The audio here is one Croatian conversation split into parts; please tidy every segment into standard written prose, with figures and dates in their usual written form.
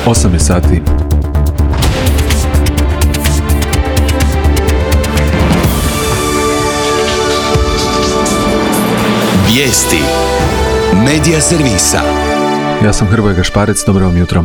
8 je sati. Vijesti Medija servisa. Ja sam Hrvoje Gašparec, dobro vam jutro.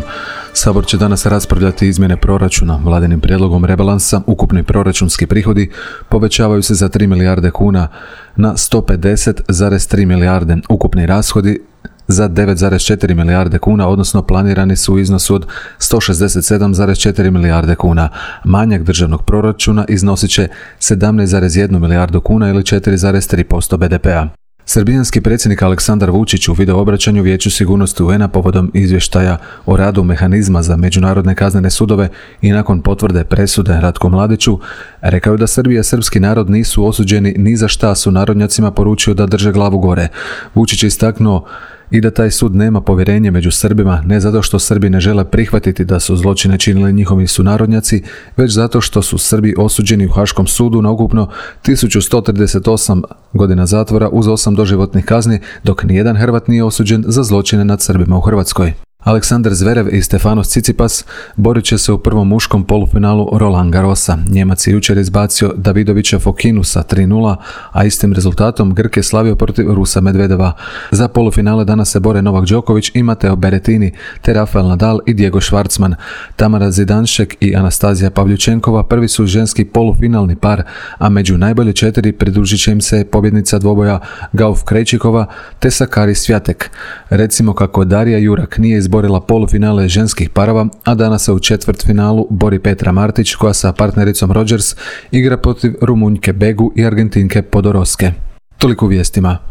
Sabor će danas raspravljati izmjene proračuna. Vladinim prijedlogom rebalansa ukupni proračunski prihodi povećavaju se za 3 milijarde kuna na 150,3 milijarde. Ukupni rashodi za 9,4 milijarde kuna, odnosno planirani su u iznosu od 167,4 milijarde kuna. Manjak državnog proračuna iznosit će 17,1 milijardu kuna ili 4,3% BDP-a. Srbijanski predsjednik Aleksandar Vučić u video obraćanju Vijeću sigurnosti UN-a povodom izvještaja o radu mehanizma za međunarodne kaznene sudove i nakon potvrde presude Ratku Mladiću rekao je da Srbija i srpski narod nisu osuđeni ni za šta, su narodnjacima poručio da drže glavu gore. Vučić je istaknuo i da taj sud nema povjerenje među Srbima, ne zato što Srbi ne žele prihvatiti da su zločine činili njihovi sunarodnjaci, već zato što su Srbi osuđeni u Haškom sudu na ukupno 1138 godina zatvora uz 8 doživotnih kazni, dok nijedan Hrvat nije osuđen za zločine nad Srbima u Hrvatskoj. Aleksandar Zverev i Stefanos Tsitsipas borit će se u prvom muškom polufinalu Roland Garrosa. Njemac je jučer izbacio Davidovića Fokinu sa 3:0, a istim rezultatom Grk je slavio protiv Rusa Medvedeva. Za polufinale danas se bore Novak Đoković i Matteo Berrettini, te Rafael Nadal i Diego Schwartzman. Tamara Zidanšek i Anastazija Pavljučenkova prvi su ženski polufinalni par, a među najbolje 4 pridružit će im se pobjednica dvoboja Gauf Krejčikova te Sakari Swiatek. Recimo kako Darija Jurak nije izborila polufinale ženskih parova, a danas se u četvrtfinalu bori Petra Martić, koja sa partnericom Rodgers igra protiv Rumunjke Begu i Argentinke Podoroske. Toliko u vijestima.